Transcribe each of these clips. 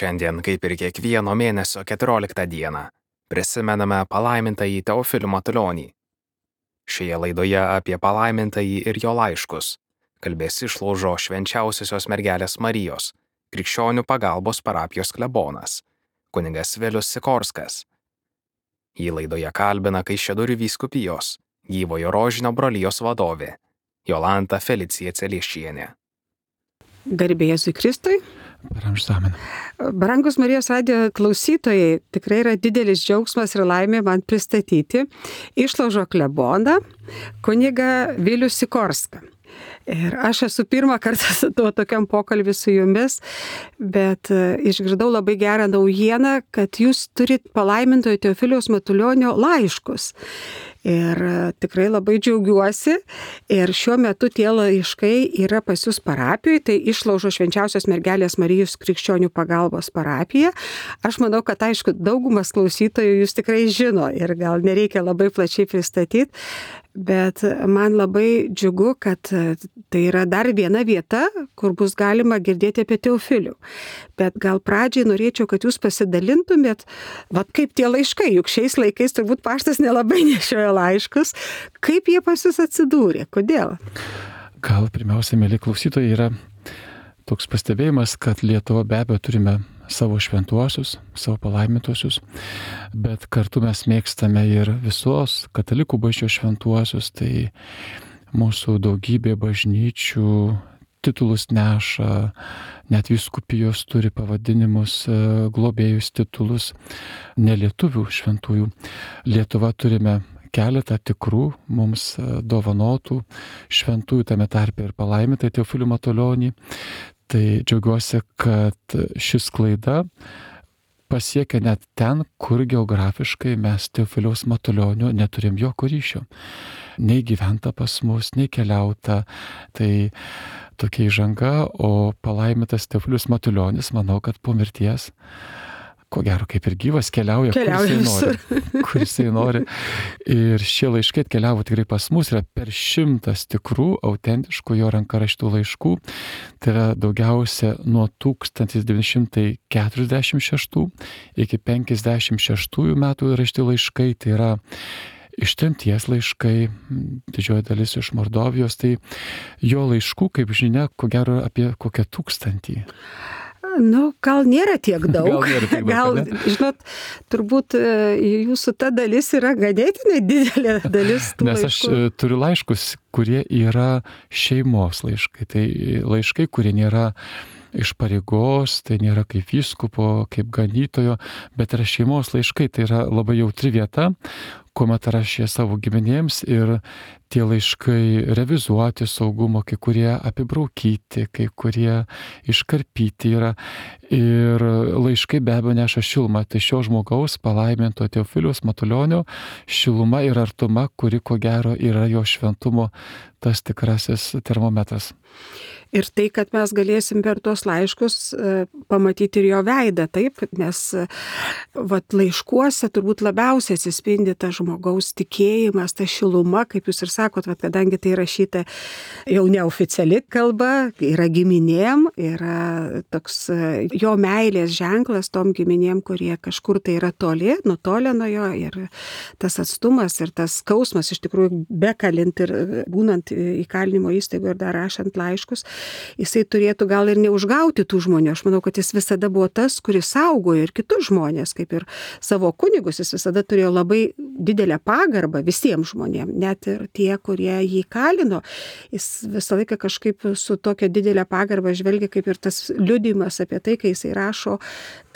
Šiandien, kaip ir kiekvieno mėnesio 14 dieną, prisimename palaimintąjį Teofilių Matulionį. Šioje laidoje apie palaimintąjį ir jo laiškus kalbės Išlaužo Švenčiausiosios Mergelės Marijos Krikščionių pagalbos parapijos klebonas, kunigas Vilius Sikorskas. Jį laidoje kalbina Kaišiadorių vyskupijos Gyvojo Rožinio brolijos vadovė Jolanta Felicija Celiešienė. Garbė Jėzui Kristui. Per amžinąjį. Brangus Marijos radijo klausytojai, tikrai yra didelis džiaugsmas ir laimė man pristatyti Išlaužo kleboną, kunigą Vilių Sikorską. Ir aš esu pirmą kartą su tokiam pokalbį su jumis, bet išgirdau labai gerą naujieną, kad jūs turit palaimintojo Teofiliaus Matulionio laiškus. Ir tikrai labai džiaugiuosi. Ir šiuo metu tie laiškai yra pas jūs parapijoje, tai Išlaužo Švenčiausios Mergelės Marijos Krikščionių pagalbos parapija. Aš manau, kad aišku, daugumas klausytojų jūs tikrai žino ir gal nereikia labai plačiai pristatyti. Bet man labai džiugu, kad tai yra dar viena vieta, kur bus galima girdėti apie Teofilių. Bet gal pradžiai norėčiau, kad jūs pasidalintumėt, kaip tie laiškai, juk šiais laikais turbūt paštas nelabai nešioja laiškus, kaip jie pas jūs atsidūrė, kodėl? Gal pirmiausia, mėly klausytojai, yra toks pastebėjimas, kad Lietuva be abejo turime savo šventuosius, savo palaimintuosius, bet kartu mes mėgstame ir visos katalikų bažnyčios šventuosius, tai mūsų daugybė bažnyčių titulus neša, net vyskupijos turi pavadinimus, globėjus titulus, nelietuvių šventųjų. Lietuva turime keletą tikrų mums dovanotų šventųjų, tame tarpe ir palaimintąjį Teofilių Matulionį. Tai džiaugiuosi, kad šis klaida pasiekia net ten, kur geografiškai mes Teofiliaus Matulionio neturim jokio ryšio. Nei gyventa pas mus, nei keliauta. Tai tokia įžanga, o palaimintas Teofilius Matulionis, manau, kad po mirties, ko gero kaip ir gyvas, keliauja kur jisai nori. Ir šie laiškai atkeliavo tikrai pas mus, yra per 100 tikrų, autentiškų jo ranka rašytų laiškų. Tai yra daugiausia nuo 1946 iki 56 metų rašyti laiškai, tai yra ištremties laiškai, didžioji dalis iš Mordovijos, tai jo laiškų, kaip žinia, ko gero apie kokią 1000. Gal nėra tiek daug. Gal, žinot, turbūt jūsų ta dalis yra ganėtinai didelė dalis tų Nes laiškų. Aš turiu laiškus, kurie yra šeimos laiškai. Tai laiškai, kurie nėra iš pareigos, tai nėra kaip vyskupo, kaip ganytojo, bet yra šeimos laiškai. Tai yra labai jautri vieta, kuomet rašė savo giminėms ir tie laiškai revizuoti saugumo, kai kurie apibraukyti, kai kurie iškarpyti yra. Ir laiškai be abejo neša šilumą. Tai šio žmogaus palaiminto Teofiliaus Matulionio šiluma ir artuma, kuri ko gero yra jo šventumo tas tikrasis termometras. Ir tai, kad mes galėsim per tuos laiškus pamatyti ir jo veidą, taip, nes laiškuose turbūt labiausiai atsispindi tas žmogaus tikėjimas, ta šiluma, kaip jūs ir sakot, kadangi tai rašyta jau neoficiali kalba, yra giminėm, yra toks jo meilės ženklas tom giminėm, kurie kažkur tai yra toli, nutolę nuo jo, ir tas atstumas ir tas skausmas iš tikrųjų bekalint ir būnant įkalinimo įstaigoje ir dar rašant laiškus, jisai turėtų gal ir neužgauti tų žmonių. Aš manau, kad jis visada buvo tas, kuris saugojo ir kitus žmonės, kaip ir savo kunigus, jis visada turėjo labai didelę pagarbą visiems žmonėms, net ir tie, kurie jį kalino. Jis visą laiką kažkaip su tokia didelė pagarba žvelgia, kaip ir tas liudijimas apie tai, kai jisai rašo,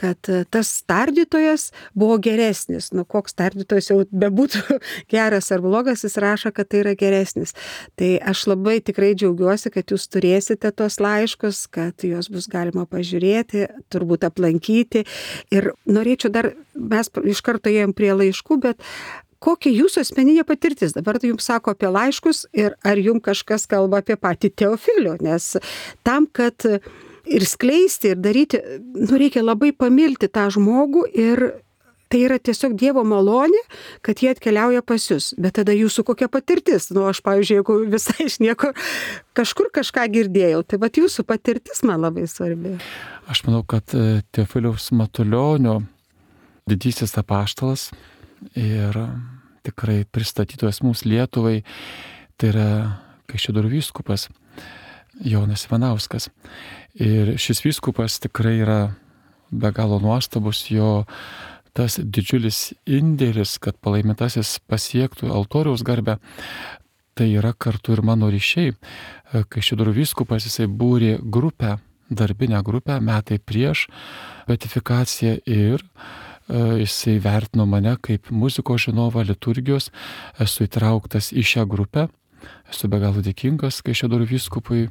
kad tas tardytojas buvo geresnis. Koks tardytojas jau bebūtų geras ar blogas, jis rašo, kad tai yra geresnis. Tai aš labai tikrai džiaugiuosi, kad jūs turėsite tos laiškus, kad juos bus galima pažiūrėti, turbūt aplankyti. Ir norėčiau dar, mes iš karto ėjom prie laiškų, bet kokia jūsų asmeninė patirtis? Dabar tai jums sako apie laiškus ir ar jums kažkas kalba apie patį Teofilių, nes tam, kad ir skleisti, ir daryti, reikia labai pamilti tą žmogų ir Tai yra tiesiog Dievo malonė, kad jie atkeliauja pas jūs. Bet tada jūsų kokia patirtis? Aš, pavyzdžiui, jeigu visai iš nieko kažkur kažką girdėjau, tai vat jūsų patirtis man labai svarbi. Aš manau, kad Teofiliaus Matulionio didysis apaštalas ir tikrai pristatytojas mums Lietuvai, tai yra Kaišiadorių vyskupas Jonas Ivanauskas. Ir šis vyskupas tikrai yra be galo nuostabus, jo tas didžiulis indėlis, kad palaimintasis pasiektų altoriaus garbę, tai yra kartu ir mano ryšiai. Kaišiadorių vyskupas jisai būrė grupę, darbinę grupę metai prieš beatifikaciją ir jisai vertino mane kaip muzikos žinovą, liturgijos, esu įtrauktas į šią grupę, esu be galo dėkingas Kaišiadorių vyskupui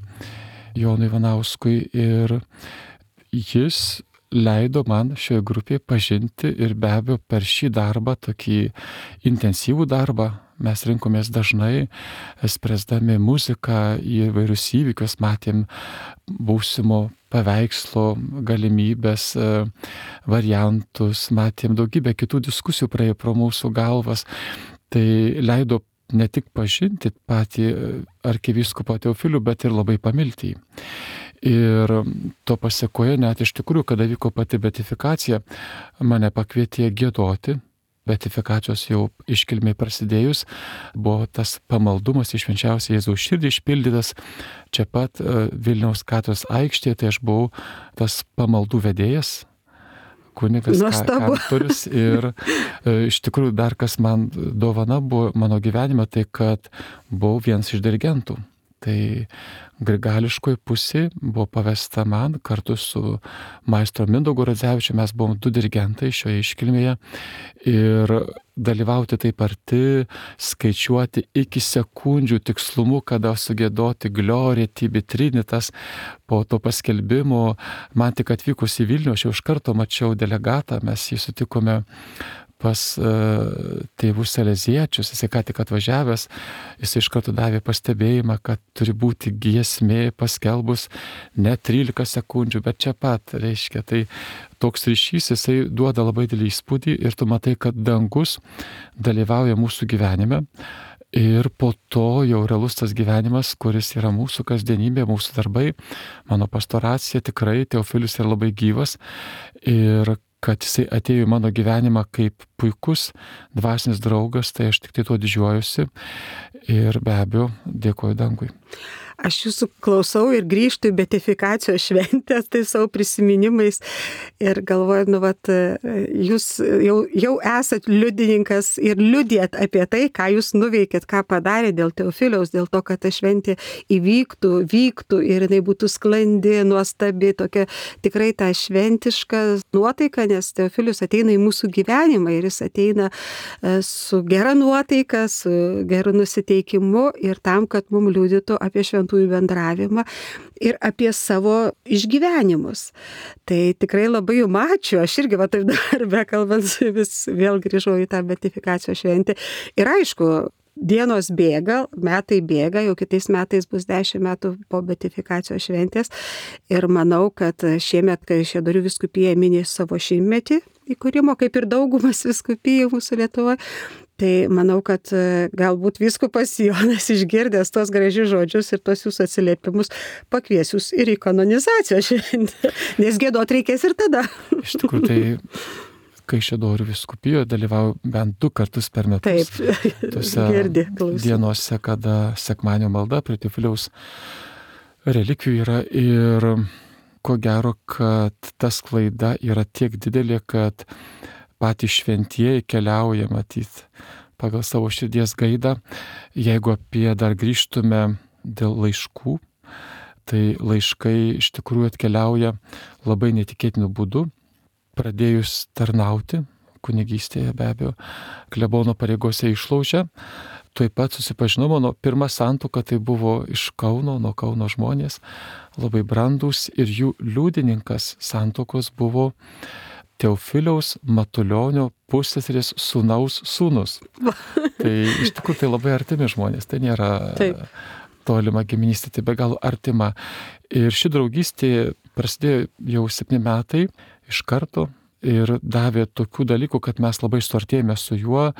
Jonui Ivanauskui ir jis leido man šioje grupėje pažinti ir be abejo per šį darbą, tokį intensyvų darbą, mes rinkomės dažnai, spręsdami muziką į vairius įvykius, matėm būsimo paveikslo galimybės, variantus, matėm daugybę kitų diskusijų praėjo pro mūsų galvas. Tai leido ne tik pažinti patį arkivyskupą Teofilių, bet ir labai pamilti jį. Ir to pasiekoje net iš tikrųjų, kada vyko pati beatifikacija, mane pakvietė giedoti. Beatifikacijos jau iškilmiai prasidėjus, buvo tas pamaldumas į švenčiausią Jėzaus širdį išpildytas čia pat Vilniaus katedros aikštėje, tai aš buvau tas pamaldų vedėjas, kunigas, kantorius ir iš tikrųjų dar kas man dovana buvo mano gyvenime, tai kad buvau vienas iš dirigentų. Tai grigališkoji pusė buvo pavesta man kartu su maestro Mindaugu Radzevičiu, mes buvom 2 dirigentai šioje iškilmėje ir dalyvauti taip arti, skaičiuoti iki sekundžių tikslumu, kada sugiedoti Gloria Tibi Trinitas. Po to paskelbimo, man tik atvykus į Vilnių, aš jau iš karto mačiau delegatą, mes jį sutikome pas tėvus saleziečius, jisai ką tik atvažiavęs, jisai iš karto davė pastebėjimą, kad turi būti giesmė paskelbus ne 13 sekundžių, bet čia pat, reiškia. Tai toks ryšys, jisai duoda labai didelį įspūdį ir tu matai, kad dangus dalyvauja mūsų gyvenime. Ir po to jau realus tas gyvenimas, kuris yra mūsų kasdienybė, mūsų darbai, mano pastoracija, tikrai Teofilius yra labai gyvas ir kad jisai atėjo į mano gyvenimą kaip puikus dvasinis draugas, tai aš tik tai tuo didžiuojuosi ir be abejo dėkoju dangui. Aš jūsų klausau ir grįžtu į beatifikacijos šventės, tai savo prisiminimais ir galvoju, jūs jau esat liudininkas ir liudijat apie tai, ką jūs nuveikėt, ką padarė dėl Teofiliaus, dėl to, kad ta šventė vyktų ir jinai būtų sklandi, nuostabi, tokia tikrai ta šventiška nuotaika, nes Teofilius ateina į mūsų gyvenimą ir jis ateina su gera nuotaika, su geru nusiteikimu ir tam, kad mums liudytų apie šventųjų bendravimą ir apie savo išgyvenimus. Tai tikrai labai jums ačiū, aš irgi taip dar bekalbant vis vėl grįžau į tą beatifikacijos šventę. Ir aišku, dienos bėga, metai bėga, jau kitais metais bus 10 metų po beatifikacijos šventės ir manau, kad šiemet Kaišiadorių vyskupija minės savo 100-metį įkūrimo, kaip ir daugumas vyskupijų mūsų Lietuvoje. Tai manau, kad galbūt vyskupas Jonas išgirdęs tos gražius žodžius ir tos jūsų atsiliepimus pakvies jūs ir į kanonizacijos šventę, nes giedot reikės ir tada. Iš tikrųjų, tai Kaišiadorių vyskupijoje dalyvauju bent 2 kartus per metus. Taip, tose dienose, kada sekmadienio malda prie Teofiliaus relikvijų yra ir ko gero, kad ta sklaida yra tiek didelė, kad patys šventieji keliauja matyti pagal savo širdies gaidą. Jeigu apie dar grįžtume dėl laiškų, tai laiškai iš tikrųjų atkeliauja labai netikėtiniu būdu. Pradėjus tarnauti, kunigystėje be abejo, klebono pareigose Išlauže, tuoj pat susipažinau, mano pirma santuoka tai buvo iš Kauno, nuo Kauno žmonės, labai brandūs ir jų liudininkas santuokos buvo Teofiliaus Matulionio pusseserės sūnaus sūnus. Tai iš tikrųjų tai labai artimi žmonės, tai nėra tolima giminystė, tai be galo artima. Ir ši draugystė prasidėjo jau 7 metai iš karto ir davė tokių dalykų, kad mes labai suartėjome su juo,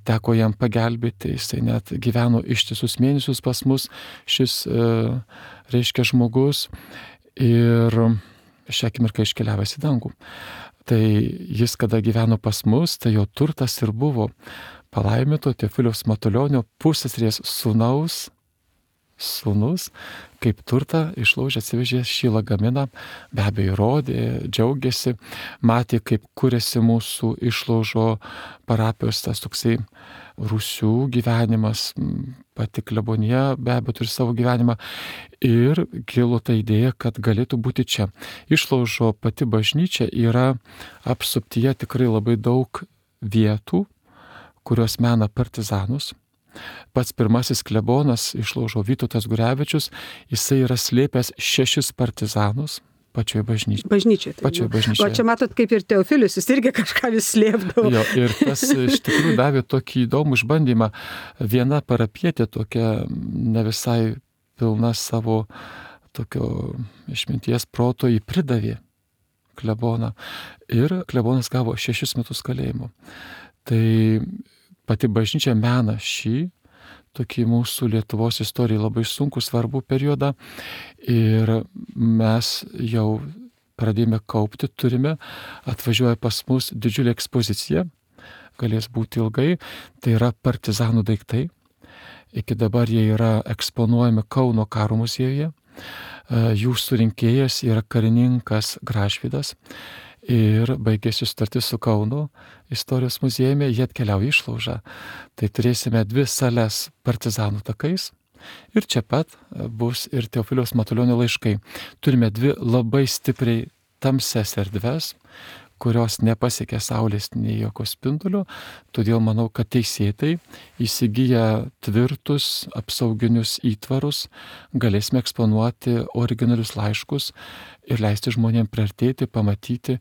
teko jam pagelbėti, jisai net gyveno ištisus mėnesius pas mus, šis, reiškia, žmogus, ir šią akimirką iškeliavęs į dangų. Tai jis, kada gyveno pas mus, tai jo turtas ir buvo palaiminto Teofiliaus Matulionio pusseserės sūnus, kaip turtą išlaužė, atsivežė šį lagaminą, be abejo rodė, džiaugiasi, matė, kaip kūrėsi mūsų išlaužo parapijos tas toksai rūsių gyvenimas, pati klebonija be abejo turi savo gyvenimą, ir kilo ta idėja, kad galėtų būti čia. Išlaužo pati bažnyčia yra apsuptyje tikrai labai daug vietų, kurios mena partizanus. Pats pirmasis klebonas Išlaužo Vytautas Gurevičius, jisai yra slėpęs 6 partizanus pačioje bažnyčioje. Pačioje bažnyčioje. O čia matot, kaip ir Teofilius, jis irgi kažką vis slėpdavo. Jo, ir tas iš tikrųjų davė tokį įdomų išbandymą. Viena parapietė tokia ne visai pilna savo tokio išminties proto, jį pridavė kleboną. Ir klebonas gavo 6 metus kalėjimo. Tai pati bažnyčia mena šį tokį mūsų Lietuvos istorijai labai sunkų, svarbų periodą, ir mes jau pradėjome kaupti, turime, atvažiuoja pas mus didžiulė ekspozicija, galės būti ilgai, tai yra partizanų daiktai. Iki dabar jie yra eksponuojami Kauno karo muziejuje, jų surinkėjas yra karininkas Gražvydas, ir baigėsi sutartis su Kauno istorijos muziejumi, jie atkeliauja į Išlaužą. Tai turėsime 2 sales partizanų takais, ir čia pat bus ir Teofiliaus Matulionio laiškai. Turime 2 labai stipriai tamsias erdves, kurios nepasiekia saulės nei jokio spindulio, todėl manau, kad teisėtai įsigiję tvirtus apsauginius įtvarus galėsime eksponuoti originalius laiškus ir leisti žmonėms priartėti, pamatyti,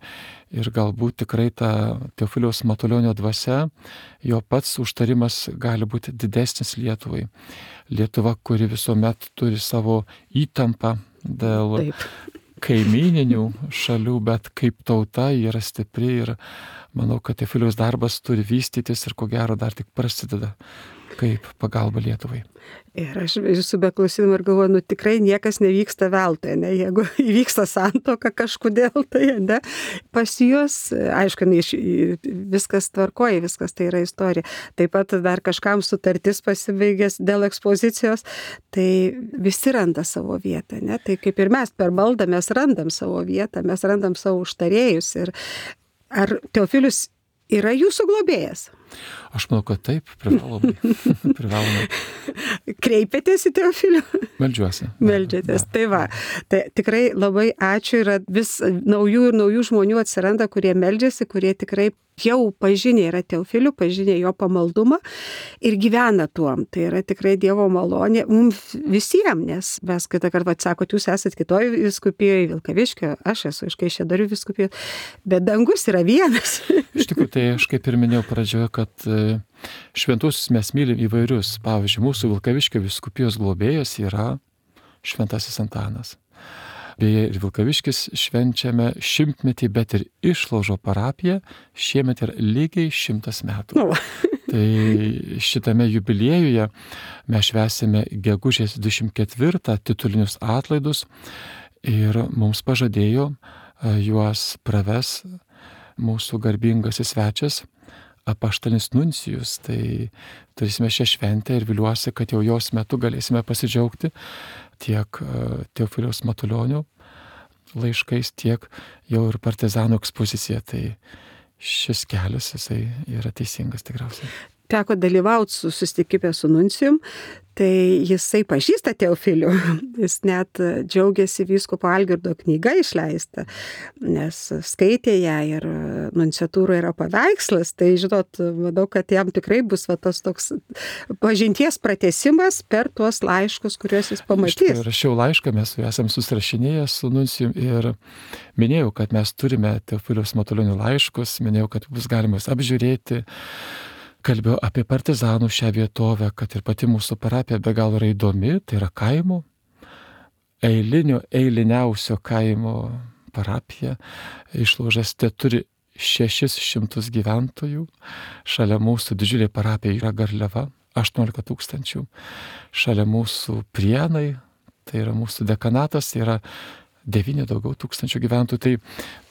ir galbūt tikrai ta Teofiliaus Matulionio dvasia, jo pats užtarimas gali būti didesnis Lietuvai. Lietuva, kuri visuomet turi savo įtampą dėl kaimyninių šalių, bet kaip tauta yra stipri, ir manau, kad Teofiliaus darbas turi vystytis ir ko gero dar tik prasideda kaip pagalba Lietuvai. Ir aš jūsų beklausydama ir galvoju, tikrai niekas nevyksta veltui, ne? Jeigu įvyksta santuoka kažkodėl, tai ne? Pas juos, aišku, viskas tvarkoja, viskas tai yra istorija. Taip pat dar kažkam sutartis pasibaigęs dėl ekspozicijos, tai visi randa savo vietą, ne? Tai kaip ir mes per maldą mes randam savo vietą, mes randam savo užtarėjus. Ir ar Teofilius yra jūsų globėjas? Aš manau, kad taip, privalomai. Kreipiatės į Teofilių? Meldžiuosi. Meldžiatės, tai va. Tai tikrai labai ačiū, yra vis naujų ir naujų žmonių atsiranda, kurie meldžiasi, kurie tikrai jau pažinė yra Teofilių, pažinė jo pamaldumą ir gyvena tuom. Tai yra tikrai Dievo malonė mums visiems, nes mes kitą kartą atsakot, jūs esat kitoj vyskupijoje, Vilkaviškio, aš esu iš Kaišiadorių vyskupijoje, bet dangus yra vienas. Iš tikrųjų, tai aš kaip ir minėjau pradžioje, kad šventuosius mes mylim įvairius. Pavyzdžiui, mūsų Vilkaviškio vyskupijos globėjas yra Šventasis Antanas. Beje, ir Vilkaviškis švenčiame 100-metį, bet ir Išlaužo parapija šiemet yra lygiai 100 metų. Tai šitame jubiliejuje mes švęsime gegužės 24 titulinius atlaidus, ir mums pažadėjo juos praves mūsų garbingasis svečias apaštalinis nuncijus. Tai turėsime šią šventę ir viliuosi, kad jau jos metu galėsime pasidžiaugti tiek Teofiliaus Matulionio laiškais, tiek jau ir partizanų ekspozicija. Tai šis kelias, jisai yra teisingas tikriausiai. Teko dalyvauti susitikime su nuncijum, tai jisai pažįsta Teofilių. Jis net džiaugiasi vyskupo Algirdo knyga išleista, nes skaitė ją ir nunciatūroje yra paveikslas. Tai žinot, manau, kad jam tikrai bus tas toks pažinties pratęsimas per tuos laiškus, kuriuos jis pamatys. Rašiau laišką, mes esam susirašinėję su nuncijum ir minėjau, kad mes turime Teofiliaus Matulionio laiškus, minėjau, kad bus galima apžiūrėti. Kalbėjau apie partizanų šią vietovę, kad ir pati mūsų parapija be galo yra įdomi, tai yra kaimo, eiliniausio kaimo parapija. Išlaužas te turi 600 gyventojų, šalia mūsų didžiulė parapija yra Garliava, 18 000, šalia mūsų Prienai, tai yra mūsų dekanatas, tai yra 9 daugiau tūkstančių gyventojų. Tai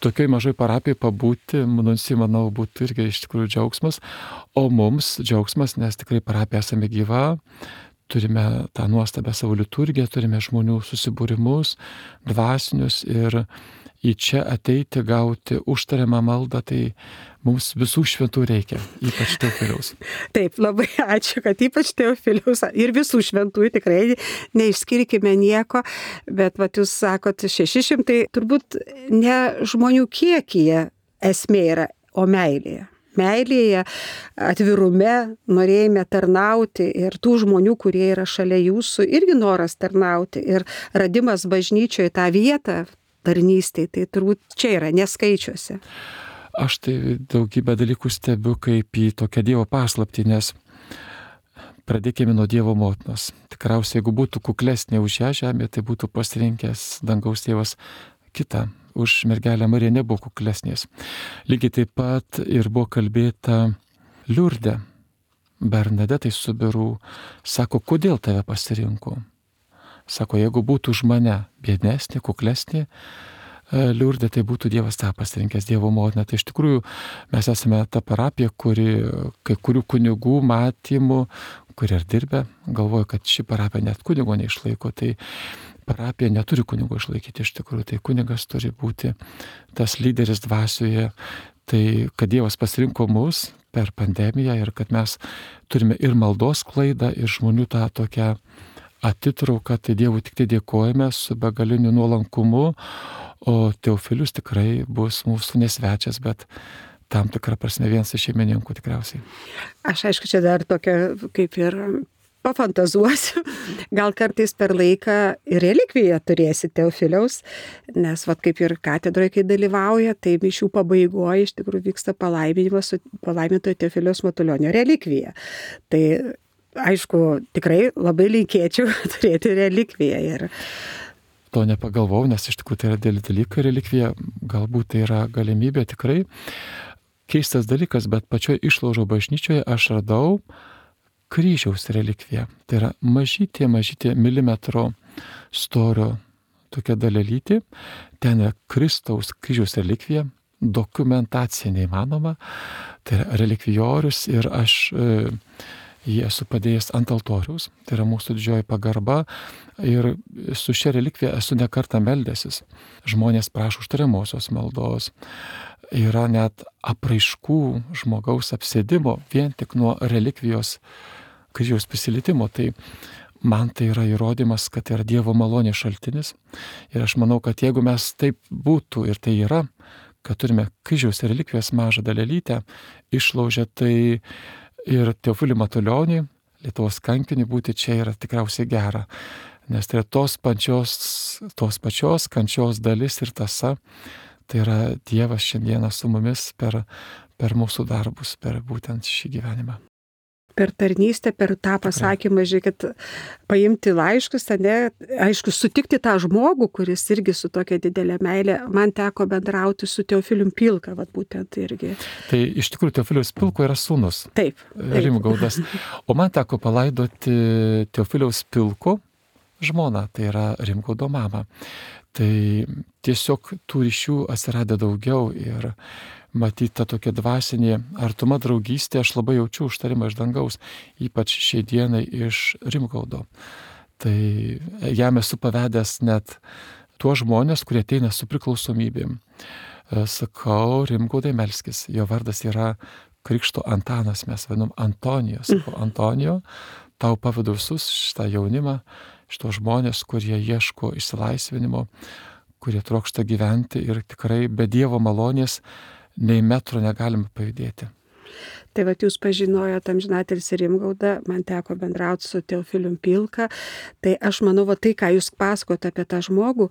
tokioj mažoj parapijai pabūti, manau, būtų irgi iš tikrųjų džiaugsmas, o mums džiaugsmas, nes tikrai parapija esame gyva, turime tą nuostabę savo liturgiją, turime žmonių susibūrimus, dvasinius ir į čia ateiti, gauti užtariamą maldą, tai mums visų šventų reikia, ypač Teofiliaus. Taip, labai ačiū, kad ypač Teofiliaus ir visų šventųjų tikrai neišskirkime nieko, bet jūs sakot 600, turbūt ne žmonių kiekyje esmė yra, o meilėje. Meilėje, atvirume, norėjime tarnauti ir tų žmonių, kurie yra šalia jūsų, irgi noras tarnauti ir radimas bažnyčioje tą vietą tarnystėje, tai turbūt čia yra neskaičiuose. Aš tai daugybę dalykų stebiu kaip į tokią Dievo paslaptį, nes pradėkime nuo Dievo motinos. Tikriausiai, jeigu būtų kuklesnė už šią žemę, tai būtų pasirinkęs dangaus tėvas kitą. Už mergelę Mariją nebuvo kuklesnės. Lygiai taip pat ir buvo kalbėta Liurde, Bernadetai Subiru, sako, kodėl tave pasirinko? Sako, jeigu būtų už mane biednesnė, kuklesnė Liurde, tai būtų Dievas tą pasirinkęs, Dievo motina. Tai iš tikrųjų mes esame ta parapija, kuri kai kurių kunigų matymų, kurie ir dirbę, galvoja, kad ši parapija net kunigo neišlaiko. Tai parapija neturi kunigo išlaikyti iš tikrųjų. Tai kunigas turi būti tas lyderis dvasioje. Tai kad Dievas pasirinko mus per pandemiją ir kad mes turime ir maldos klaidą, ir žmonių tą tokią atitrauką, tai Dievui tik tai dėkojame su begaliniu nuolankumu, o Teofilius tikrai bus mūsų nesvečias, bet tam tikrą prasme vienas iš šeimininkų tikriausiai. Aš aišku, čia dar tokia kaip ir pafantazuosiu, gal kartais per laiką ir relikviją turėsi Teofiliaus, nes kaip ir katedroje, kai dalyvauja, tai mišių pabaigoje iš tikrųjų vyksta palaiminimas su palaimintojo Teofiliaus Matulionio relikvija. Tai aišku, tikrai labai linkėčiau turėti relikviją. Ir to nepagalvojau, nes iš tikrųjų tai yra dėlį dalykai relikvija, galbūt tai yra galimybė tikrai. Keistas dalykas, bet pačioje Išlaužo bažnyčioje aš radau kryžiaus relikviją. Tai yra mažytė milimetro storio tokia dalelytė. Ten yra Kristaus kryžiaus relikvija, dokumentacija neįmanoma. Tai yra relikvijorius ir aš jį esu padėjęs ant altoriaus, tai yra mūsų didžioji pagarba ir su šia relikvija esu ne kartą meldęsis. Žmonės prašo užtariamosios maldos, yra net apraiškų žmogaus apsėdimo vien tik nuo relikvijos kryžiaus prisilietimo. Tai man tai yra įrodymas, kad tai yra Dievo malonės šaltinis ir aš manau, kad jeigu mes taip būtų ir tai yra, kad turime kryžiaus relikvijos mažą dalelytę Išlaužę, tai ir Teofilių Matulionį, Lietuvos kankinį būti čia yra tikriausiai gera, nes tai yra tos pačios kančios dalis ir tąsa, tai yra Dievas šiandieną su mumis per mūsų darbus, per būtent šį gyvenimą. Per tarnystę, per tą pasakymą, žiūrėkit, paimti laiškus, aišku, sutikti tą žmogų, kuris irgi su tokia didelė meilė, man teko bendrauti su Teofilium Pilka, būtent irgi. Tai iš tikrųjų Teofiliaus Pilko yra sūnus. Taip. Rimgaudas. O man teko palaidoti Teofiliaus Pilko žmoną, tai yra Rimgaudo mamą. Tai tiesiog tų ryšių atsirado daugiau ir matyti tą tokią dvasinį artumą draugystę, aš labai jaučiu užtarimą iš dangaus, ypač šiai dienai iš Rimgaudo. Tai jam esu pavedęs net tuos žmonės, kurie ateina su priklausomybėm. Sakau, Rimgaudai melskis, jo vardas yra Krikšto Antanas, mes vadinam Antonijos. Antonijo, tau pavedu visus šitą jaunimą, šitos žmonės, kurie ieško išsilaisvinimo, kurie trokšta gyventi ir tikrai be Dievo malonės nei metro negalime pajudėti. Tai jūs pažinojote amžinatilsį Rimgaudą, man teko bendrauti su Teofilium Pilka, tai aš manau, tai, ką jūs pasakote apie tą žmogų,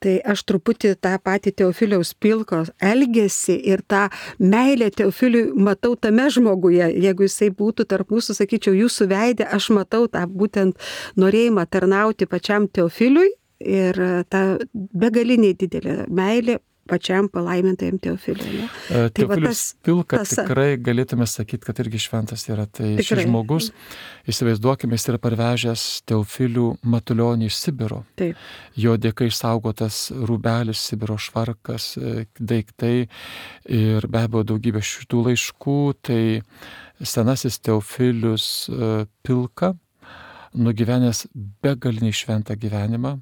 tai aš truputį tą patį Teofiliaus Pilko elgesį ir tą meilę Teofiliui matau tame žmoguje. Jeigu jisai būtų tarp mūsų, sakyčiau, jūsų veidė, aš matau tą būtent norėjimą tarnauti pačiam Teofiliui ir tą begalinį didelę meilę pačiam palaimintajam Teofiliui. Teofilius Pilka tikrai galėtume sakyti, kad irgi šventas yra. Tai šis žmogus, įsivaizduokime, jis yra parvežęs Teofilių Matulionį iš Sibiro. Taip. Jo dėka išsaugotas rūbelis, Sibiro švarkas, daiktai ir be abejo daugybė šitų laiškų. Tai senasis Teofilius Pilka, nugyvenęs begalinį šventą gyvenimą.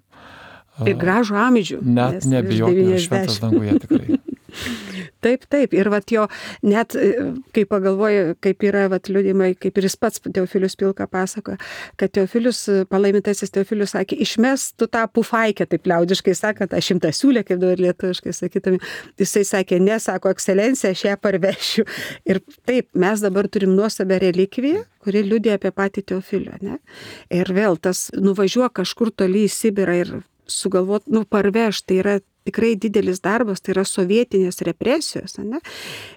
Ir gražų amžių. Net nebijotina, šventas danguje tikrai. Taip. Ir vat jo, net kai pagalvoju, kaip yra vat liudimai, kaip ir jis pats Teofilius Pilka pasakoja, kad Teofilius, palaimintasis Teofilius sakė, išmes tu tą pufaikę, taip liaudiškai sakant, aš 100 siūlę, kaip dabar lietuviškai sakytume. Jisai sakė, ne, sako, ekscelencija, aš ją parvešiu. Ir taip, mes dabar turim nuostabią relikviją, kuri liudija apie patį Teofilių, ne? Ir vėl tas nuvažiuok kažkur toli į Sibirą ir sugalvot, parveš, tai yra tikrai didelis darbas, tai yra sovietinės represijos, ne?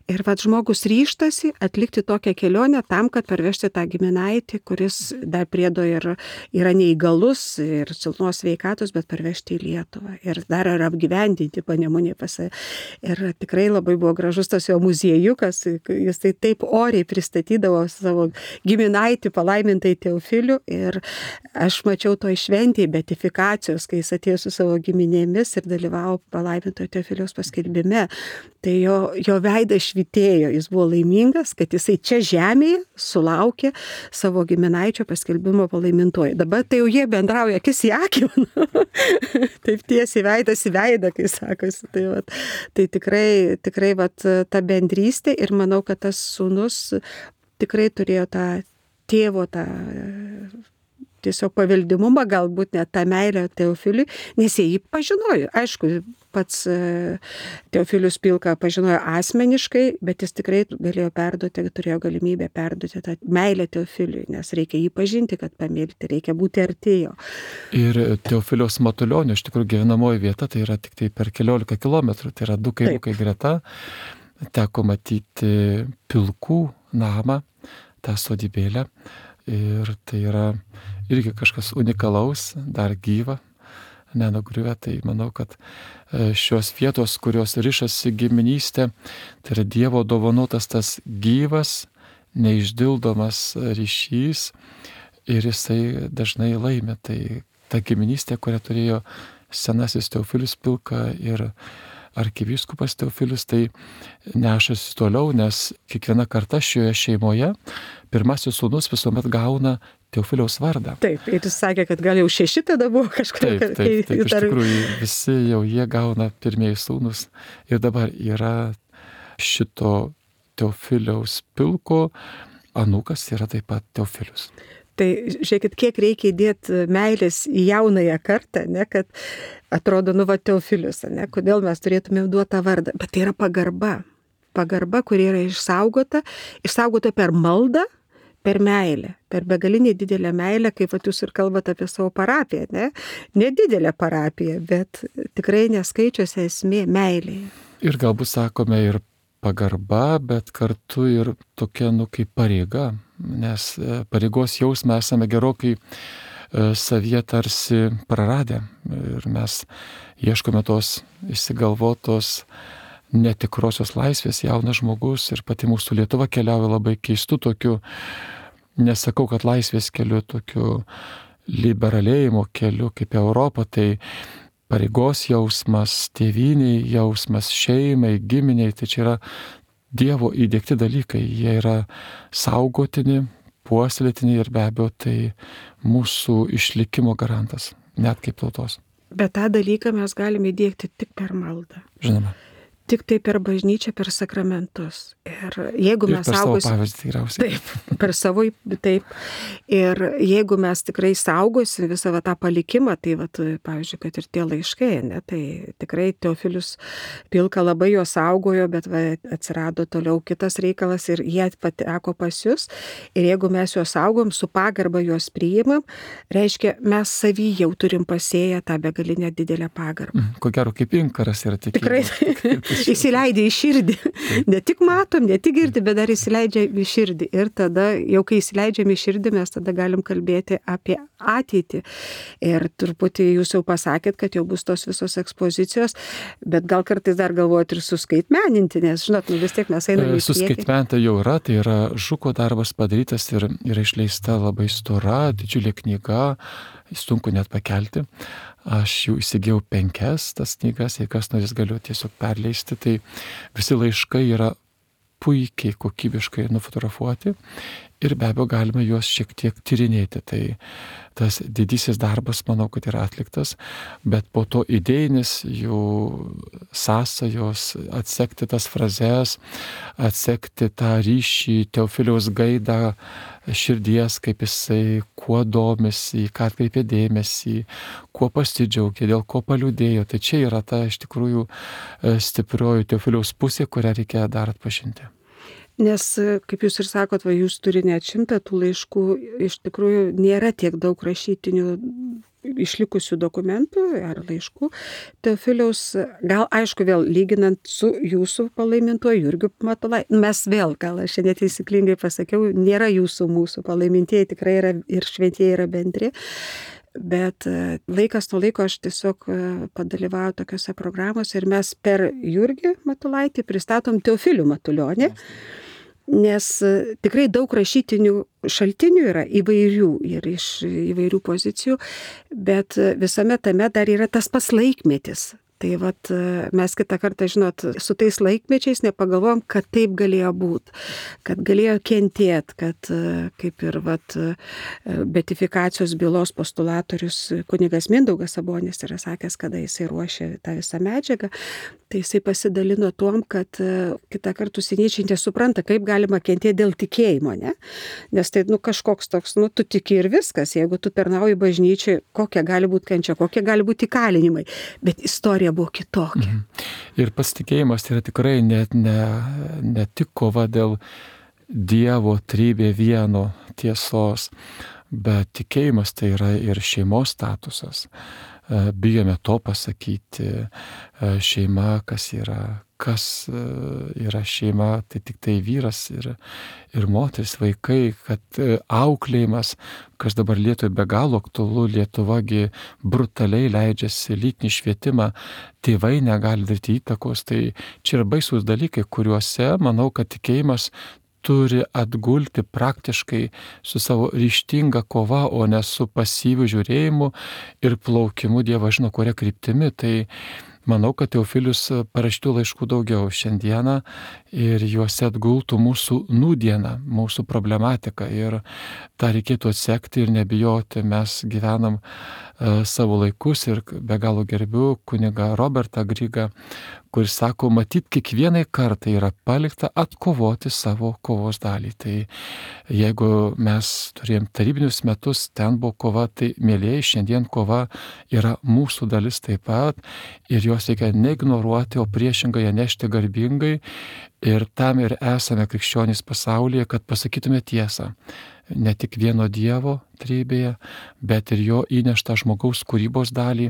Ir vat žmogus ryštasi atlikti tokią kelionę tam, kad parvežti tą giminaitį, kuris dar priedo ir yra neįgalus ir silpnos sveikatos, bet parvežti į Lietuvą. Ir dar yra apgyvendinti Panemunėje pas save. Ir tikrai labai buvo gražus tas jo muziejukas, jis tai taip oriai pristatydavo savo giminaitį palaimintai Teofilių. Ir aš mačiau to šventėje beatifikacijos, kai jis atėjo su savo giminėmis ir dalyvavo palaimintojo Teofiliaus paskelbime. Tai jo veidas švytėjo, jis buvo laimingas, kad jisai čia žemėje sulaukė savo giminaičio paskelbimo palaimintojo. Dabar tai jau jie bendrauja akis į akį, taip tiesiai veidas į veidą, kai sakosi. Tai tikrai ta bendrystė ir manau, kad tas sūnus tikrai turėjo tą tėvo tą tiesiog paveldimumą, galbūt net tą meilę Teofiliui, nes jie jį pažinojo. Aišku, pats Teofilius Pilka pažinojo asmeniškai, bet jis tikrai galėjo perduoti, turėjo galimybę perduoti tą meilę Teofiliui, nes reikia jį pažinti, kad pamėgti, reikia būti artėjo. Ir Teofiliaus Matulionio, iš tikrųjų, gyvenamoji vieta, tai yra tik tai per 15 kilometrų, tai yra 2 kaimukai greta. Teko matyti Pilkų namą, tą sodybėlę. Ir tai yra irgi kažkas unikalaus, dar gyva, nenugriuvę. Tai manau, kad šios vietos, kurios rišasi giminystė, tai yra Dievo dovanotas tas gyvas, neišdildomas ryšys ir jisai dažnai laimi. Tai ta giminystė, kurią turėjo senasis Teofilius Pilka ir arkivyskupas Teofilius, tai nešasi toliau, nes kiekviena karta šioje šeimoje pirmasis sūnus visuomet gauna Teofiliaus vardą. Taip, ir jis sakė, kad gal jau 6 tada buvo kažkur. Taip, iš tikrųjų visi jau jie gauna pirmieji sūnus. Ir dabar yra šito Teofiliaus Pilko anūkas, yra taip pat Teofilius. Tai žiūrėkit, kiek reikia įdėti meilės į jaunąją kartą, ne, kad atrodo, Teofilius, ne, kodėl mes turėtume duoti tą vardą. Bet tai yra pagarba. Pagarba, kuri yra išsaugota per maldą, per meilę, per begalinį didelę meilę, kaip jūs ir kalbate apie savo parapiją, ne? Nedidelę parapiją, bet tikrai neskaičiuose esmė meilėje. Ir galbūt sakome ir pagarba, bet kartu ir tokia, kaip pareiga, nes pareigos jausmą esame gerokai savyje tarsi praradę ir mes ieškome tos išsigalvotos netikrosios laisvės. Jaunas žmogus ir pati mūsų Lietuva keliauja labai keistų tokių, nesakau, kad laisvės keliu, tokiu liberalėjimo keliu kaip Europa, tai pareigos jausmas, tėvyniai jausmas, šeimai, giminiai, tai čia yra Dievo įdiegti dalykai, jie yra saugotini, puoselėtini ir be abejo tai mūsų išlikimo garantas, net kaip tautos. Bet tą dalyką mes galime įdiegti tik per maldą. Žinoma. Tik tai per bažnyčią, per sakramentus. Ir jeigu mes per savo pavyzdį tikriausiai. Taip, per savo, taip. Ir jeigu mes tikrai saugosim visą tą palikimą, tai pavyzdžiui, kad ir tie laiškai, ne, tai tikrai Teofilius Pilka labai jo saugojo, bet atsirado toliau kitas reikalas ir jie pateko pas jūs. Ir jeigu mes juos saugom, su pagarba juos priimam, reiškia, mes savy jau turim pasėję tą begalinę didelę pagarbą. Ko gero, kaip inkaras yra tikėjimas. Tikrai. įsileidžia į širdį. Ne tik matom, ne tik girdi, bet dar įsileidžia į širdį. Ir tada, jau kai įsileidžiam į širdį, mes tada galim kalbėti apie ateitį. Ir truputį jūs jau pasakėt, kad jau bus tos visos ekspozicijos, bet gal kartais dar galvojat ir suskaitmeninti, nes, žinot, vis tiek mes einame į priekį. Suskaitmeninta jau yra, tai yra Žuko darbas padarytas ir yra išleista labai stora, didžiulė knyga, sunku net pakelti. Aš jau įsigijau 5 tas knygas, jei kas norės galiu tiesiog perleisti, tai visi laiškai yra puikiai, kokybiškai nufotografuoti ir be abejo galime juos šiek tiek tyrinėti. Tai tas didysis darbas, manau, kad yra atliktas, bet po to idėjinis jų sąsajos, atsekti tas frazes, atsekti tą ryšį, Teofiliaus gaidą širdies, kaip jisai kuo domisi, ką atkreipė dėmesį, kuo pasidžiaugė, dėl ko paliūdėjo. Tai čia yra ta iš tikrųjų stiprioji Teofiliaus pusė, kurią reikia dar atpažinti. Nes, kaip jūs ir sakot, jūs turi net 100 tų laiškų, iš tikrųjų nėra tiek daug rašytinių išlikusių dokumentų ar laiškų. Teofiliaus, gal aišku vėl lyginant su jūsų palaimintuoju Jurgiu Matulaičiu, mes vėl, gal aš šiandien teisyklingai pasakiau, nėra jūsų mūsų palaimintieji, tikrai yra ir šventieji yra bendri. Bet laikas nuo laiko aš tiesiog padalyvauju tokiuose programuose ir mes per Jurgį Matulaitį pristatom Teofilių Matulionį, nes tikrai daug rašytinių šaltinių yra įvairių ir iš įvairių pozicijų, bet visame tame dar yra tas pats laikmetis. Tai vat mes kitą kartą, žinot, su tais laikmečiais nepagalvojom, kad taip galėjo būti, kad galėjo kentėti, kad kaip ir beatifikacijos bylos postulatorius kunigas Mindaugas Sabonis yra sakęs, kada jisai ruošė tą visą medžiagą, tai jisai pasidalino tuom, kad kitą kartą užsieniečiai nesupranta, kaip galima kentėti dėl tikėjimo, ne? Nes tai kažkoks toks, tu tiki ir viskas, jeigu tu tarnauji bažnyčiai, kokia gali būti kančia, kokie gali būti įkalinimai, bet istorija buvo kitokia. Ir pasitikėjimas tai yra tikrai ne tik kova dėl Dievo trybė vieno tiesos, bet tikėjimas tai yra ir šeimos statusas. Bijome to pasakyti, šeima, kas yra šeima, tai tik tai vyras ir moteris, vaikai, kad auklėjimas, kas dabar Lietuvai be galo aktualu, Lietuvagi brutaliai leidžiasi lytinį švietimą, tėvai negali daryti įtakos, tai čia yra baisūs dalykai, kuriuose, manau, kad tikėjimas turi atgulti praktiškai su savo ryžtinga kova, o ne su pasyviu žiūrėjimu ir plaukimu Dievas žino, kuria kryptimi. Tai manau, kad Teofilius parašytų laiškų daugiau šiandieną ir juose atgultų mūsų nūdieną, mūsų problematiką ir tą reikėtų atsekti ir nebijoti. Mes gyvenam savo laikus ir be galo gerbiu kunigą Robertą Grygą, kuris sako, matyt, kiekvienai kartai yra palikta atkovoti savo kovos dalį. Tai jeigu mes turėjom tarybinius metus, ten buvo kova, tai mėlėjai, šiandien kova yra mūsų dalis taip pat ir jos reikia neignoruoti, o priešingai ją nešti garbingai ir tam ir esame krikščionys pasaulyje, kad pasakytume tiesą. Ne tik vieno Dievo trybėje, bet ir jo įneštą žmogaus kūrybos dalį,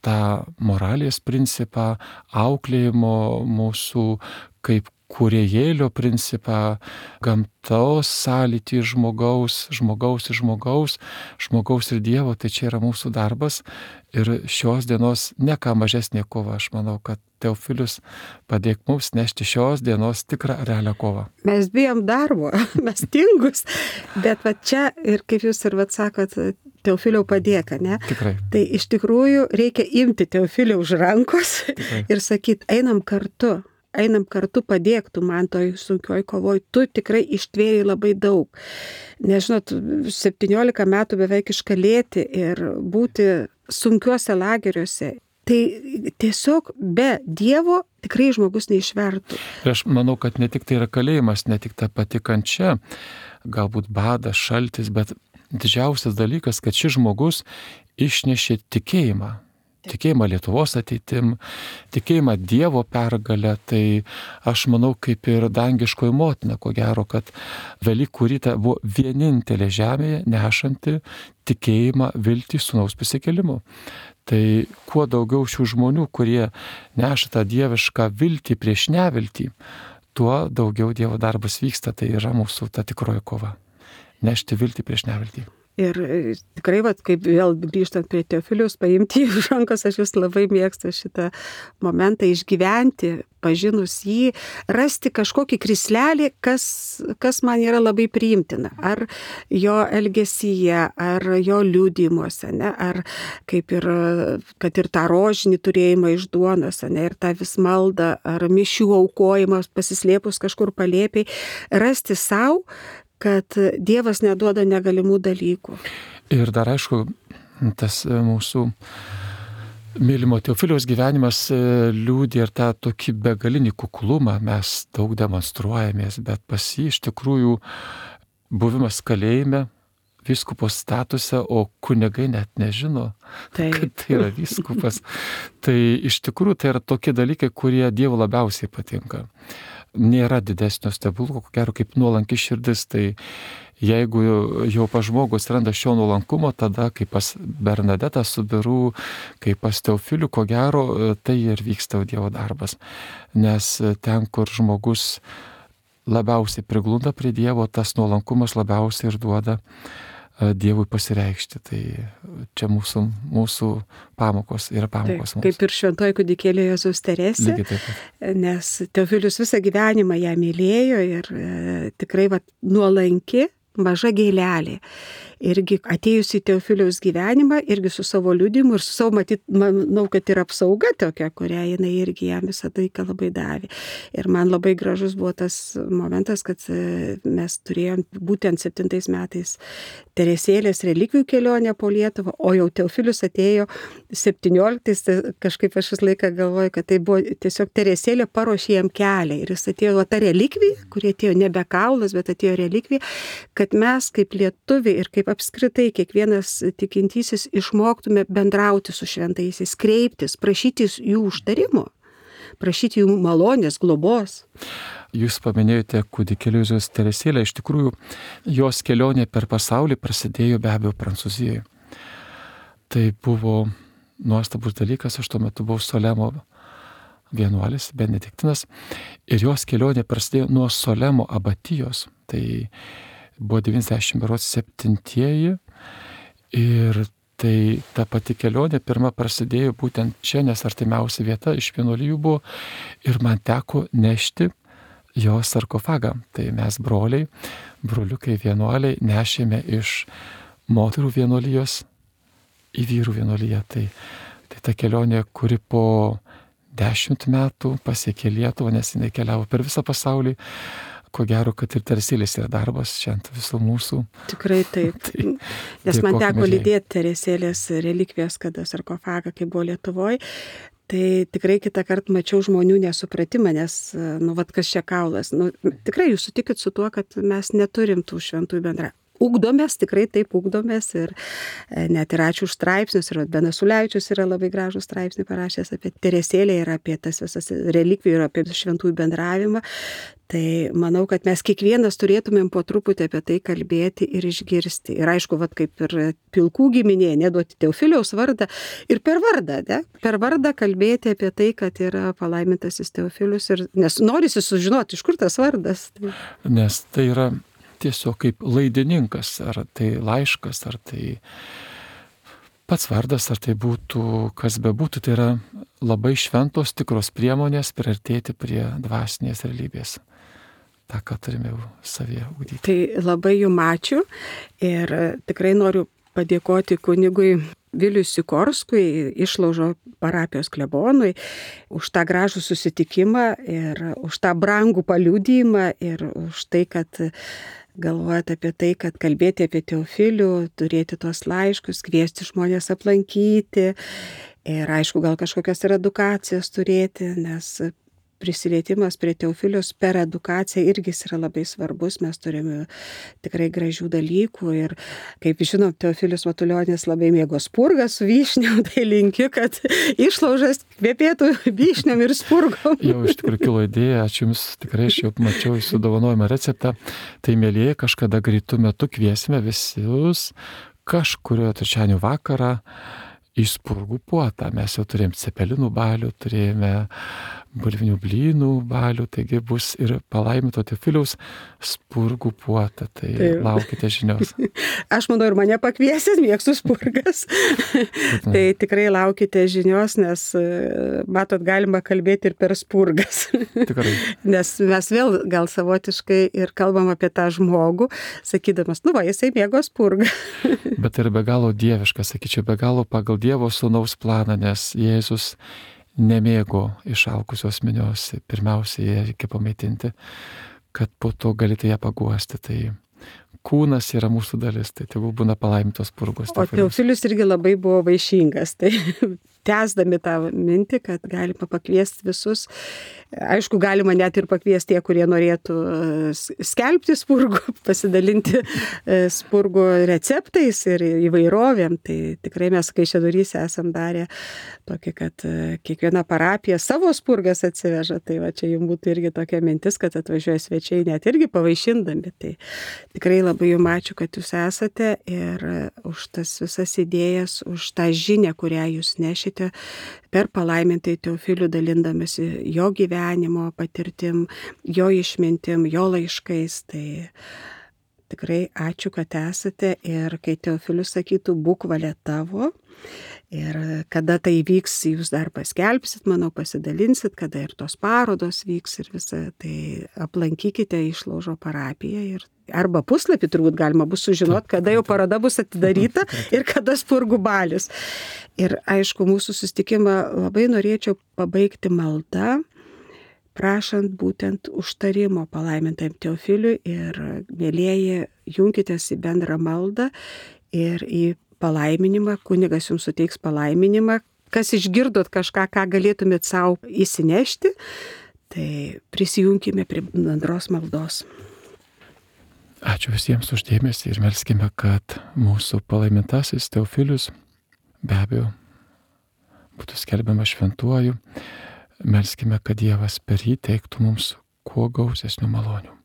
tą moralės principą, auklėjimo mūsų kaip kūrėjėlio principą, gamtos sąlytį žmogaus ir Dievo, tai čia yra mūsų darbas ir šios dienos ne ką mažesnė kova. Aš manau, kad Teofilius padėk mums nešti šios dienos tikrą realią kovą. Mes bijom darbo, mes tingus, bet čia ir kaip jūs ir sakot, Teofiliau padėka, ne? Tikrai. Tai iš tikrųjų reikia imti Teofiliau už rankos ir sakyti, einam kartu, padėk tu man toj sunkioj kovoj, tu tikrai ištvėrei labai daug. Nežinot, 17 metų beveik iškalėti ir būti sunkiuose lageriuose. Tai tiesiog be Dievo tikrai žmogus neišvertų. Ir aš manau, kad ne tik tai yra kalėjimas, ne tik ta pati kančia, galbūt badas, šaltis, bet didžiausias dalykas, kad šis žmogus išnešė tikėjimą. tikėjimą Lietuvos ateitim, tikėjimą Dievo pergalę, tai aš manau, kaip ir dangiškoji motina, ko gero, kad Velykų rytą buvo vienintelė žemėje nešanti tikėjimą, viltį sūnaus prisikėlimu. Tai kuo daugiau šių žmonių, kurie neša tą dievišką viltį prieš neviltį, tuo daugiau Dievo darbas vyksta, tai yra mūsų ta tikroji kova. Nešti viltį prieš neviltį. Ir tikrai, kaip vėl grįžtant prie Teofiliaus, paimti iš rankos, aš vis labai mėgstu šitą momentą išgyventi, pažinus jį, rasti kažkokį krislelį, kas man yra labai priimtina. Ar jo elgesyje, ar jo liudijimuose, ne? Ar kaip ir, kad ir tą rožinį turėjimą iš duonos, ne? Ir tą vis maldą, ar mišių aukojimas pasislėpus kažkur palėpiai, rasti savo, kad Dievas neduoda negalimų dalykų. Ir dar aišku, tas mūsų mylimo Teofiliaus gyvenimas liūdė ir tą tokį begalinį kuklumą, mes daug demonstruojamės, bet pas jį iš tikrųjų buvimas kalėjime, vyskupo statuse, o kunigai net nežino, kad tai yra vyskupas. Tai iš tikrųjų tai yra tokie dalykai, kurie Dievo labiausiai patinka. Nėra didesnio stebuklo, ko gero kaip nuolanki širdis, tai jeigu jau pas žmogus randa šio nuolankumo, tada kaip pas Bernadetą su Biru, kaip pas Teofilių, ko gero tai ir vyksta Dievo darbas. Nes ten, kur žmogus labiausiai priglunda prie Dievo, tas nuolankumas labiausiai ir duoda Dievui pasireikšti. Tai čia mūsų pamokos yra pamokos. Taip, kaip ir šventoji kūdikėlė Jėzaus Teresė, nes Teofilius visą gyvenimą ją mylėjo ir tikrai nuolanki, maža gėlelė. Irgi atėjus į Teofiliaus gyvenimą, irgi su savo liudijimu ir su savo, matyt, manau, kad ir apsauga tokia, kurią jinai irgi jam visą laiką labai davė. Ir man labai gražus buvo tas momentas, kad mes turėjom būtent 7 metais Teresėlės relikvijų kelionę po Lietuvą, o jau Teofilius atėjo 17, kažkaip aš vis laiką galvoju, kad tai buvo tiesiog Teresėlė paruošė jam kelią. Ir jis atėjo ta relikvija, kurie atėjo nebe kaulas, bet atėjo relikvija, kad mes kaip lietuviai ir kaip apskritai kiekvienas tikintysis išmoktume bendrauti su šventaisiais, kreiptis, prašyti jų užtarimo, prašyti jų malonės, globos. Jūs paminėjote kūdikėlio Jėzaus Teresėlę, iš tikrųjų jos kelionė per pasaulį prasidėjo be abejo Prancūzijoje. Tai buvo nuostabus dalykas, aš tuo metu buvau Solemo vienuolis, benediktinas, ir jos kelionė prasidėjo nuo Solemo abatijos. Tai buvo 97 ir tai ta pati kelionė pirma prasidėjo būtent čia, nes artimiausia vieta iš vienuolijų buvo ir man teko nešti jo sarkofagą. Tai mes broliukai vienuoliai nešėme iš moterų vienuolijos į vyrų vienuoliją. Tai ta kelionė, kuri po 10 metų pasiekė Lietuvą, nes jinai keliavo per visą pasaulį. Ko gero, kad ir Teresėlės yra darbas šiandien visų mūsų. Tikrai taip. Nes man teko lydėti Teresėlės relikvijas, kada sarkofagą, kai buvo Lietuvoje. Tai tikrai kitą kartą mačiau žmonių nesupratimą, nes, kas čia kaulas. Tikrai jūs sutikit su tuo, kad mes neturim tų šventųjų bendra. Ugdomės, tikrai taip ugdomės ir net ir ačiū už straipsnius, ir Benas Ulevičius yra labai gražų straipsnį parašęs apie Teresėlę ir apie tas visas relikvijų ir apie šventųjų bendravimą. Tai manau, kad mes kiekvienas turėtumėm po truputį apie tai kalbėti ir išgirsti. Ir aišku, kaip ir pilkų giminė, neduoti Teofiliaus vardą ir per vardą, ne? Per vardą kalbėti apie tai, kad yra palaimintasis Teofilius, nes norisi sužinoti, iš kur tas vardas. Nes tai yra tiesiog kaip laidininkas, ar tai laiškas, ar tai pats vardas, ar tai būtų, kas bebūtų, tai yra labai šventos tikros priemonės priartėti prie dvasinės realybės. Ta, ką turime jau savyje ugdyti. Tai labai jums ačiū ir tikrai noriu padėkoti kunigui Viliui Sikorskui, Išlaužo parapijos klebonui, už tą gražų susitikimą ir už tą brangų paliudijimą ir už tai, kad galvojat apie tai, kad kalbėti apie Teofilių, turėti tuos laiškus, kviesti žmonės aplankyti ir aišku, gal kažkokias ir edukacijas turėti, nes prisilietimas prie Teofilius per edukaciją irgi yra labai svarbus. Mes turime tikrai gražių dalykų ir, kaip žinom, Teofilius Matulionis labai mėgo spurgą su vyšniom, tai linkiu, kad išlaužas kvepėtų vyšniom ir spurgom. Jau iš tikrųjų kilo idėja, ačiū Jums, tikrai aš jau mačiau jūsų dovanojimą receptą. Tai mėlyje kažkada greitų metų kviesime visus kažkurio trečiadienio vakarą į spurgų puotą. Mes jau turėjom cepelinų balių, turėjome bulvinių blynų balių, taigi bus ir palaiminto Teofiliaus spurgų puota. Tai laukite žinios. Aš manau, ir mane pakviesit, mėgstu spurgas. Tai tikrai laukite žinios, nes, matot, galima kalbėti ir per spurgas. Tikrai. Nes mes vėl gal savotiškai ir kalbam apie tą žmogų, sakydamas, jisai mėgo spurgą. Bet tai yra be galo dieviška, sakyčiau, be galo pagal Dievo sūnaus planą, nes Jėzus nemėgo išalkusios minios, pirmiausia, ją reikia pamaitinti, kad po to galite ją paguosti. Tai kūnas yra mūsų dalis, tai tegul būna palaimintos spurgos. O Teofilius irgi labai buvo vaišingas, tai tęsdami tą mintį, kad galima pakviesti visus. Aišku, galima net ir pakviesti tie, kurie norėtų skelbti spurgų, pasidalinti spurgų receptais ir įvairovėm. Tai tikrai mes Kaišiadoryse esam darę tokį, kad kiekviena parapija savo spurgas atsiveža. Tai va, čia jums būtų irgi tokia mintis, kad atvažiuoja svečiai net irgi pavaišindami. Tai tikrai labai jums ačiū, kad jūs esate ir už tas visas idėjas, už tą žinią, kurią jūs nešite per palaimintai Teofilių, dalindamasi jo gyvenimo patirtim, jo išmintim, jo laiškais. Tai tikrai ačiū, kad esate ir kai Teofilius sakytų, būk valia tavo. Ir kada tai vyks, jūs dar paskelbsit, manau, pasidalinsit, kada ir tos parodos vyks ir visą, tai aplankykite Išlaužo parapiją ir arba puslapį turbūt galima bus sužinoti, kada jau paroda bus atidaryta ir kada spurgų balius. Ir aišku, mūsų susitikimą labai norėčiau pabaigti maldą, prašant būtent užtarimo palaimintam Teofiliui ir mėlieji, junkitės į bendrą maldą ir į palaiminimą, kunigas jums suteiks palaiminimą, kas išgirdot kažką, ką galėtumėt savo įsinešti, tai prisijunkime prie bendros maldos. Ačiū visiems už dėmesį ir melskime, kad mūsų palaimintasis Teofilius be abejo būtų skelbiamas šventuoju. Melskime, kad Dievas per jį teiktų mums kuo gausesnių malonių.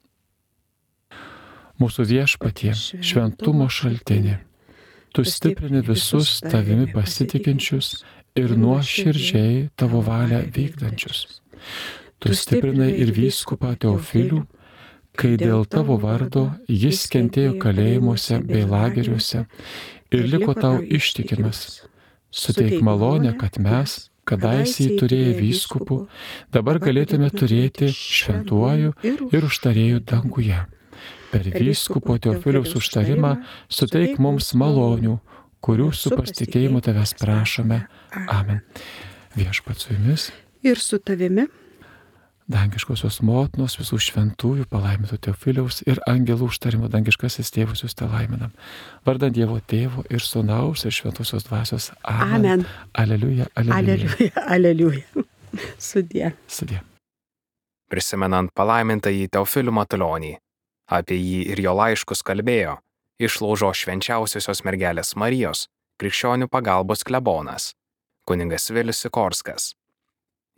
Mūsų Viešpatie, šventumo šaltinė, tu stiprini visus tavimi pasitikinčius ir nuoširdžiai tavo valią vykdančius. Tu stiprinai ir vyskupą Teofilių, kai dėl tavo vardo jis kentėjo kalėjimuose bei lageriuose ir liko tau ištikimas. Suteik malonę, kad mes, kadaise turėję vyskupų, dabar galėtume turėti šventuoju ir užtarėju danguje. Per vyskupo Teofiliaus užtarimą suteik mums malonių, kurių su pasitikėjimu tavęs prašome. Amen. Viešpats su jumis. Ir su tavimi. Dangiškosios motinos, visų šventųjų, palaiminto Teofiliaus ir angelų užtarimo dangiškasis tėvus jūs te laiminam. Vardant Dievo Tėvo ir Sūnaus ir Šventosios Dvasios. Amen. Aleliuja, aleliuja. Aleliuja, aleliuja. Sudie. Sudie. Prisimenant palaimintąjį Teofilių Matulionį, apie jį ir jo laiškus kalbėjo Išlaužo švenčiausiosios mergelės Marijos krikščionių pagalbos klebonas, kunigas Vilius Sikorskas.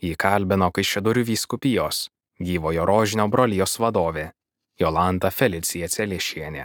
Jį kalbino Kaišiadorių vyskupijos gyvojo rožinio brolijos vadovė Jolanta Felicija Celiešienė.